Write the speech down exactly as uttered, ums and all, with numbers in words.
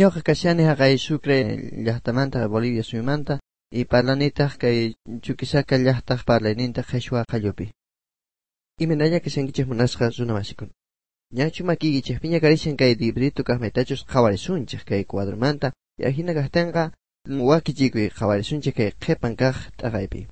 Ñuqa kashani haqay Sucre llaqtamanta Bolivia suyumanta y parlanitaq kay Chuquisaca llaqtaq parlayninta qheshwa qallupi. Imaynalla kashankichik munasqa runa masikuna. Ñachu makiykichikpiña karishan kay librito kaqmaytachus qhawarisunchik kay cuadromanta y ahina kaqtinqa wakichikuy qhawarisunchik kay qhipan kaq t'aqaypi.